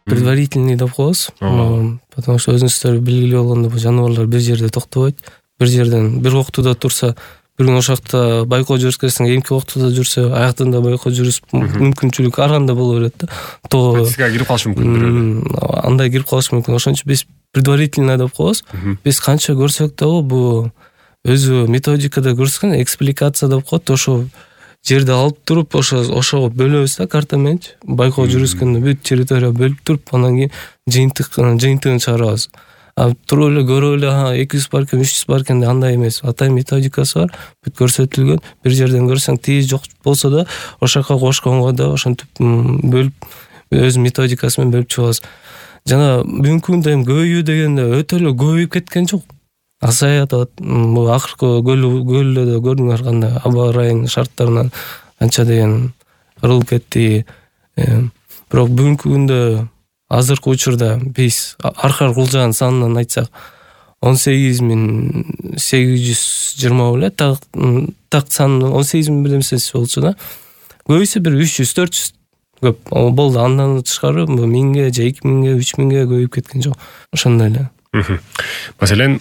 предварительный деп коебуз. Потому что өзүңүздөр белгилүү болгондой бул жаныбарлар бир жерде токтобойт. Бир жерден бир октуда турса, бир күн ошакта байкоо жүргүзсөң, эмки октуда жүрсө, аяктан да байкоо жүрүп мүмкүнчүлүк ар кандай боло берет да. Токсикага кирип калышы мүмкүн. Андай кирип калышы мүмкүн. Ошон үчүн биз предварительно деп коебуз. Биз канча көрсөк дагы бул өзү методикада көрсөткөн экспликация деп коет. Ошо жерди алып туруп, ошого бөлөбүз да карта менен. Байкоо жүргүзгөндө бүт территория бөлүп туруп, анан кийин жыйынтыгын чыгарабыз. Туруп эле көрүп эле 200 бар экен, 300 бар экен андай эмес. Атайын методикасы бар. Бүт көрсөтүлгөн. Бир жерден көрсөң тийиз жок болсо да, ошака кошконго да ошентип бөлүп өз методикасы менен бөлүп чыгабыз. Жана бүгүнкү күндө эми көбөйүү дегенде өтө эле көбөйүп кеткен жок. Азаят бул акыркы көлдө көрдүңөр кандай аба ырайын шарттарынан канча деген кырылып кетти. Бирок бүгүнкү күндө азыркы учурда биз аркар кулжанын санынан айтсак 18820 беле так сан 18000 бирдемесиси болчу да. Көбөйсө бир 300-400 көп болду. Андан тышкары 1000ге же 2000ге 3000ге көбөйүп кеткен жок. Ошондой эле. Маселен,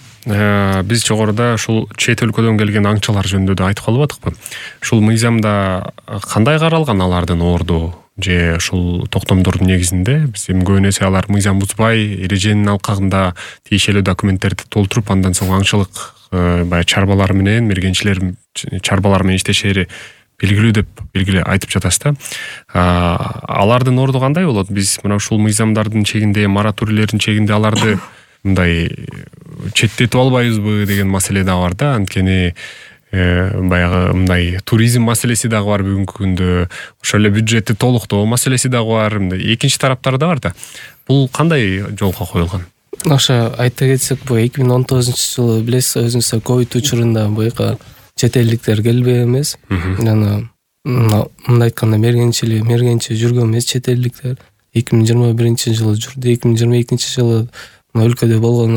биз жогоруда ушул чет өлкөдөн келген аңчылар жөнүндө да айтып калып атыкпы? Ушул мыйзамда кандай каралган алардын орду же ушул токтомдордун негизинде? Биз эми көбүн эсе алар мыйзам бузбай, эреженин алкагында тиешелүү документтерди толтуруп, андан соң аңчылык баягы чарбалар менен, мергенчилер чарбалар менен иштешери белгилүү деп айтып жатасыз да. Алардын орду кандай болот? Биз мына ушул мыйзамдардын чегинде, мораторийлердин чегинде аларды мындай четтетип албайбызбы деген маселе да бар да. Анткени баягы мындай туризм маселеси дагы бар бүгүнкү күндө. Ошол эле бюджетти толуктоо маселеси дагы бар. Мындай экинчи тараптар да бар да. Бул кандай жолго коюлган? Ошо айта кетсек, бул 2019-жылы билесиз, өзүңүздөр ковид учурунда буяка чет элдиктер келбей эмес. Жана мындай айтканда мергенчи жүргөн эмес чет элдиктер 2021-жылы жүрдү. 2022-жылы өлкөдө болгон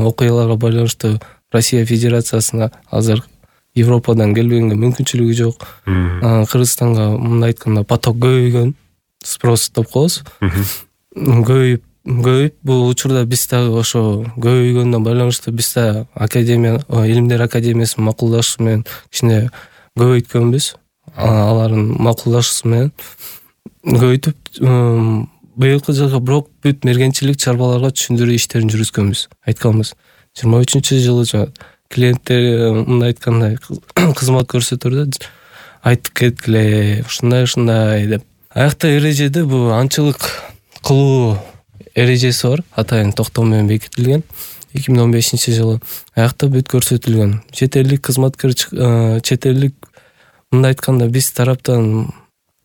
окуяларга байланыштуу Россия Федерациясына азыр Европадан келбегенге мүмкүнчүлүгү жок. Кыргызстанга мындай айтканда поток көбөйгөн, спрос деп коебуз. Көбөйүп бул учурда биз дагы ошо көбөйгөндөн байланыштуу биз да Илимдер академиясынын макулдашуусу менен кичине көбөйткөнбүз. Алардын макулдашуусу менен көбөйтүп быйылкы жылга бирок бүт мергенчилик чарбаларга түшүндүрүү иштерин жүргүзгөнбүз. Айтканбыз 23-жылы клиенттер мындай айткандай кызмат көрсөтөрдө айтып кеткиле, ушундай деп. Аякта эрежеде бул аңчылык кылуу эрежеси бар, атайын токтом менен бекитилген 2015-жылы. Аякта бүт көрсөтүлгөн. Чет элдик кызматкер, чет элдик мындай айтканда биз тараптан,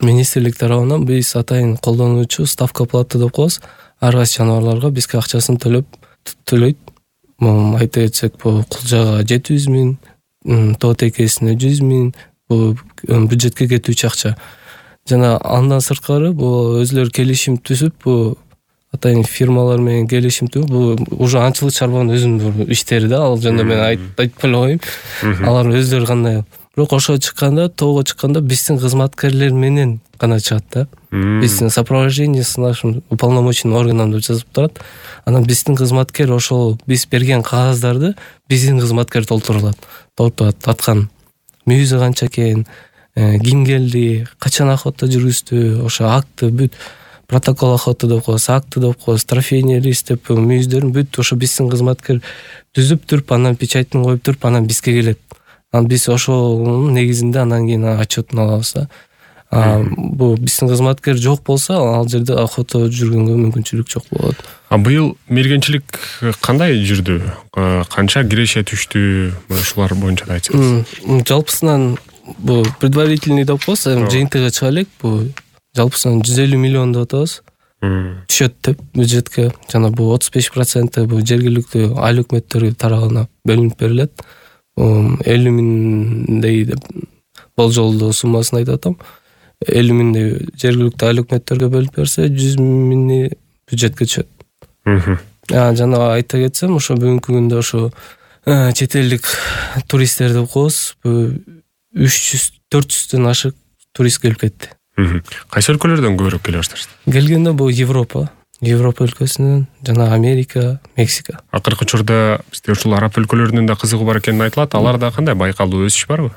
министрлик тарабынан биз атайын колдонуучу ставка платы деп коебуз. Ар кайсы жаныбарларга бизге акчасын төлөйт. Айта кетсек, бул кулжага 700 000, тоот экесине 100 000, бул бюджетке кетүүчү акча. Жана андан сырткары бул өзлөрү келишим түзүп, бул атайын фирмалар менен келишим түзүп, бул уже аңчылык чарбанын өзүнүн иштери да. Ал жөнүндө мен айтып эле коеюн. Алар өздөрү кандай. Бирок ошо чыкканда, тоого чыкканда биздин кызматкерлер менен гана чыгат да. Биздин сопровождение с нашим уполномоченным органом деп жазып турат. Анан биздин кызматкер ошол биз берген кагаздарды биздин кызматкер толтурат. Аткан мүйүзү канча экен, ким келди, качан охота жүргүздү, ошо акты бүт протокол охота деп коебуз, акты деп коебуз, трофейный лист деп мүйүздөрүн бүт ошо биздин кызматкер түзүп туруп, анан печатын коюп туруп, анан бизге келет. Анан биз ошонун негизинде анан кийин отчетун алабыз да. Бул биздин кызматкер жок болсо, ал жерде охота жүргөнгө мүмкүнчүлүк жок болот. Быйыл мергенчилик кандай жүрдү? Канча киреше түштү? Ушулар боюнча да айтсаңыз. Жалпысынан бул предварительный деп коебуз, жыйынтыгы чыга элек. Бул жалпысынан 150 миллион деп атабыз. Түшөт деп бюджетке. Жана бул 35% бул жергиликтүү айыл өкмөттөрү тарабынан бөлүнүп берилет. 50 миңдей деп болжолдуу суммасын айтып атам. 50 миңдей жергиликтүү айыл өкмөттөргө бөлүп берсе, 100 миңи бюджетке түшөт. Жана айта кетсем, ошо бүгүнкү күндө ошо чет элдик туристтер деп коебуз, 300-400дөн ашык турист келип кетти. Кайсы өлкөлөрдөн көбүрөөк келе башташты? Келгенде бул Европа. Европа өлкөсүнөн жана Америка, Мексика. Акыркы учурда бизде ушул араб өлкөлөрүнүн да кызыгуу бар экени айтылат. Аларда кандай байкалуу өсүш барбы?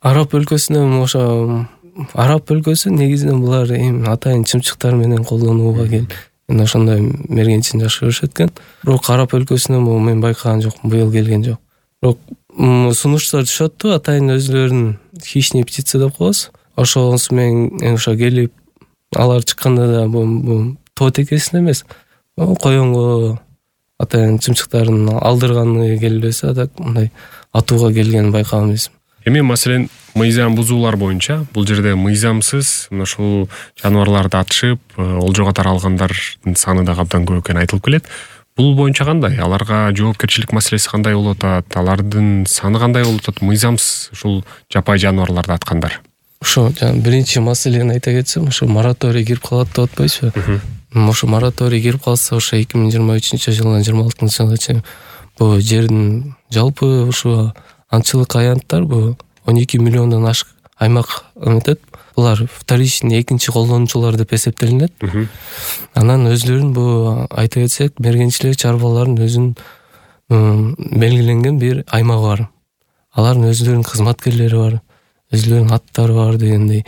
Араб өлкөсүнөн ошо араб өлкөсү негизинен булар эми атайын чымчыктар менен колдонууга ошондой мергенчилик жакшы көрүшөт экен. Бирок араб өлкөсүнөн мен байкаган жокмун, быйыл келген жок. Бирок сунуштар түшөттү, атайын өзлөрүнүн хищный птица деп коебуз. Ошонусу менен ошо келип алар чыкканда да бул тоо текесин эмес, коёнго атайын чымчыктарын алдырганы келбесе, а так мындай атууга келгенин байкаган эмес. Эми маселен мыйзам бузуулар боюнча бул жерде мыйзамсыз мына ушул жаныбарларды атышып, олжого таралгандардын саны да абдан көп экени айтылып келет. Бул боюнча кандай? Аларга жоопкерчилик маселеси кандай болуп атат? Алардын саны кандай болуп атат? Мыйзамсыз ушул жапай жаныбарларды аткандар. Ошо биринчи маселени айта кетсем, ошо мораторий кирип калат деп атпайсызбы? Ошо мораторий кирип калса, ошо 2023-жылдан 26-жылга чейин бул жердин жалпы ушу аңчылык аянттар бул 12 миллиондон ашык аймак эметет. Булар вторичный, экинчи колдонуучулар деп эсептелинет. Анан өзлөрүн бул айта кетсек, мергенчилик чарбалардын өзүнүн белгиленген бир аймагы бар. Алардын өзлөрүнүн кызматкерлери бар, өзлөрүнүн аттары бар дегендей.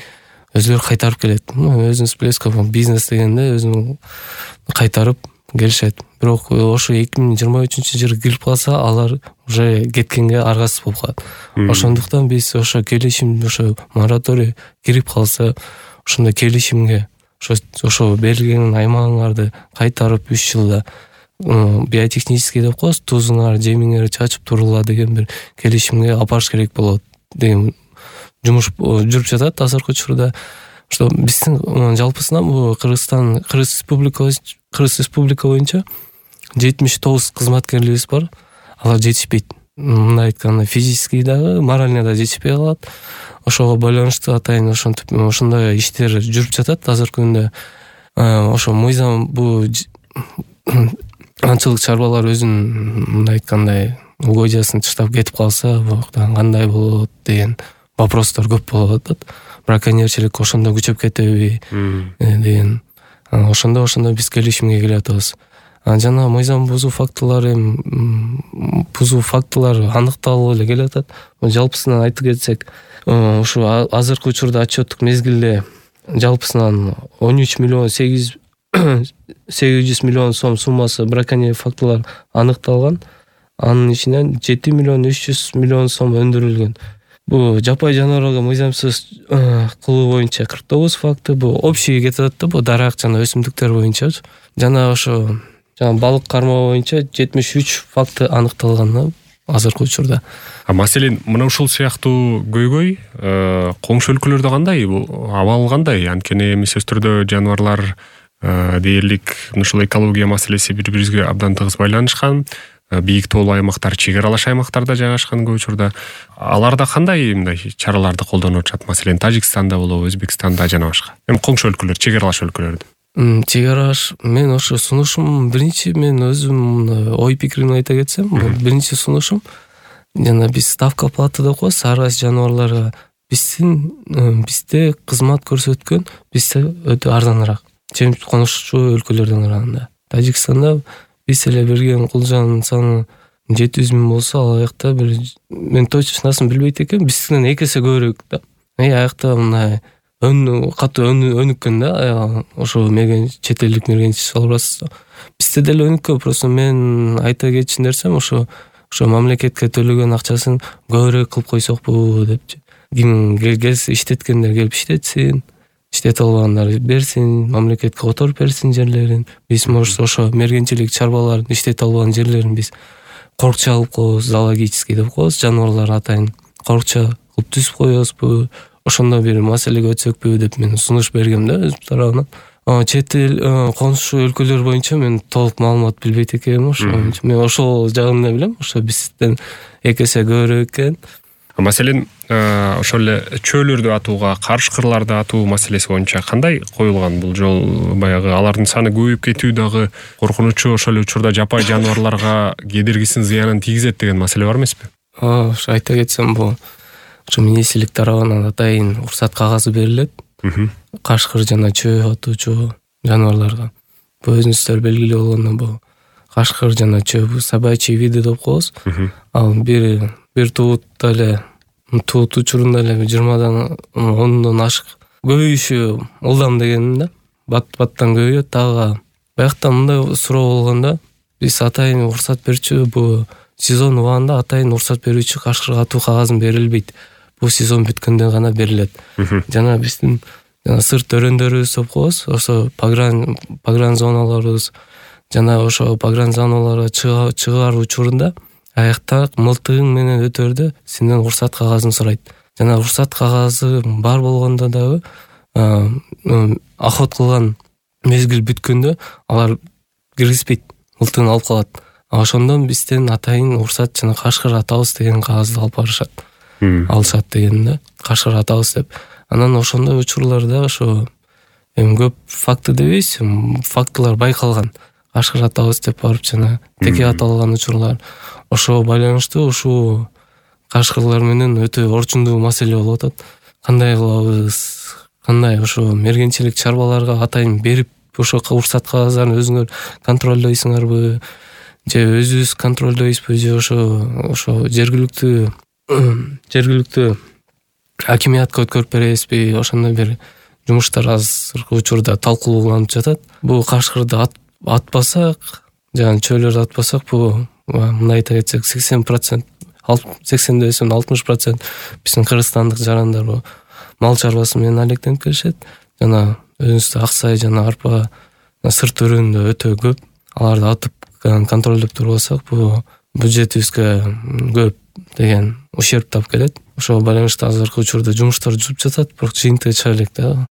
Өзлөрү кайтарып келет. Өзүнүн плесков бизнес дегенде өзүнүн кайтарып келишет. Бирок ошо 2023-жылы кирип калса, алар уже кеткенге аргасыз болуп калат. Ошондуктан биз ошо келишим, ошо мораторий кирип калса, ошондой келишимге ошо берилген аймагыңарды кайтарып 3 жылда биотехнический деп коебуз, тузуңар, жемиңер чачып турула деген бир келишимге алыш керек болот деген жумуш жүрүп жатат азыркы учурда. Что биздин жалпысынан бул Кыргыз Республика боюнча 79 кызматкерлерибиз бар. Алар жетишпейт. Мындай айтканда физически дагы, морально да жетишпей калат. Ошого байланыштуу атайын ошондой иштер жүрүп жатат азыркы күндө. Ошо мыйзам бул аңчылык чарбалар өзүнүн мындай айткандай угодиясын таштап кетип калса, кандай болот деген вопростор көп болуп атат. Браконьерчилик ошондо күчөп кетеби деген. Ошондо биз келишимге келип атабыз. Жана мыйзам бузуу фактылары аныкталып эле келип атат. Жалпысынан айтып кетсек, ушу азыркы учурда отчеттук мезгилде жалпысынан 13 миллион 800 миллион сом суммасы браконьер фактылар аныкталган. Анын ичинен 7 миллион 300 миллион сом өндүрүлгөн. Бу жапай жаныбарларга мыйзамсыз кылуу боюнча 49 факты, бу общий кетип атат да, бу дарак жана өсүмдүктөр боюнча. Жана ошо балык кармоо боюнча 73 факты аныкталган азыркы учурда. Маселен, мына ушул сыяктуу көйгөй коңшу өлкөлөрдө кандай? Абал кандай? Анткени эми сөзсүз түрдө жаныбарлар дээрлик ушул экология маселеси бири-бирибизге абдан тыгыз байланышкан. Бийик тоолуу аймактар, чек аралаш аймактарда жайгашкан көп учурда. Аларда кандай мындай чараларды колдонуп атышат? Маселен, Тажикстанда болобу, Өзбекстанда жана башка. Эми коңшу өлкөлөр, чек аралаш өлкөлөрдө. Чек аралаш, мен ошо сунушум биринчи, мен өзүм ой пикиримди айта кетсем, биринчи сунушум жана биз ставка платы деп коебуз ар кайсы жаныбарларга. Бизде кызмат көрсөткөн бизде өтө арзаныраак, конушчу өлкөлөрдөн караганда. Тажикстанда биз эле берген кулжанын саны 700 000 болсо, ал жакта мен точносын билбейт экенмин, бизден 2 эсе көбүрөөк да. Аякта мындай катуу өнүккөн да, ошо чет элдик мергенчилик албасыз. Бизде деле өнүккөн, просто мен айта кетчү нерсем ошо мамлекетке төлөгөн акчасын көбүрөөк кылып койсокпу депчи. Ким келсе иштеткендер келип иштетсин, иштете албагандар берсин, мамлекетке которуп берсин жерлерин. Биз ошо мергенчилик чарбалардын иштете албаган жерлерин биз корукча алып коебуз, зоологический деп коебуз, жаныбарлар атайын корукча кылып түзүп коебузбу, ошондо бир маселеге өтсөкпү деп мен сунуш бергем да өз тарабынан. Чет эл конушу өлкөлөр боюнча мен толук маалымат билбейт экенмин, ошо мен ошол жагын эле билем, ошо бизден 2 эсе көбүрөөк экен. Маселен, ошол эле чөөлөрдү атууга, карышкырларды атуу маселеси боюнча кандай коюлган бул жол? Баягы алардын саны көбөйүп кетүү дагы коркунучу, ошол учурда жапай жаныбарларга кедергисин, зыянын тийгизет деген маселе бар эмеспи? Ошо айта кетсем, бул ошо министрлик тарабынан атайын уруксат кагазы берилет. Кашкыр жана чөө атуучу жаныбарларга. бул өзүңүздөр белгилүү болгондой бул кашкыр жана чөө собачий види деп коебуз. Ал бир туутта эле туут учурунда эле 20дан 10дон ашык көбөйүшү ылдам деген да. Баттан көбөйөт. Дагы баягта мындай суроо болгондо биз атайын уруксат берчү, бул сезон убагында атайын уруксат берүүчү кашкырга атуу кагазын берилбейт. Бул сезон бүткөндөн гана берилет. Жана биздин сырт өрөөндөрүбүз деп коебуз. Ошо погран зоналарыбыз жана ошо погран зоналарга чыгаар учурунда аякта мылтыгың менен өтөрдө сенден уруксат кагазын сурайт. Жана уруксат кагазы бар болгондо дагы охот кылган мезгил бүткөндө алар киргизбейт, мылтыгын алып калат. Ошондон бизден атайын уруксат жана кашкыр атабыз деген кагазды алып барышат. Алышат деген да, кашкыр атабыз деп. Анан ошондой учурларда ошо көп факты дебейбиз, фактылар байкалган. Кашкыр атабыз деп барып жана теке аталган учурлар. Ошого байланыштуу ушул кашкырлар менен өтө орчундуу маселе болуп атат. Кандай кылабыз? Кандай ошо мергенчилик чарбаларга атайын берип ошо уруксат кагаздарын өзүңөр контролдойсуңарбы? Же өзүбүз контролдойбузбу? Же ошо жергиликтүү акимиятка өткөрүп беребизби? Ошондой бир жумуштар азыркы учурда талкууланып жатат. Бул кашкырды атпасак, жана чөйлөрдө атпасак, бул мындай айта кетсек 80%, 60% биздин кыргызстандык жарандар мал чарбасы менен алектенип келишет. Жана өзүбүздө аксай жана арпа сырт өрөөндө өтө көп. Аларды атып контролдоп турбасак, бул бюджетибизге көп деген ущерб тап келет. Ошого байланыштуу азыркы учурда жумуштар жүрүп жатат, бирок жыйынтыгы чыга элек да.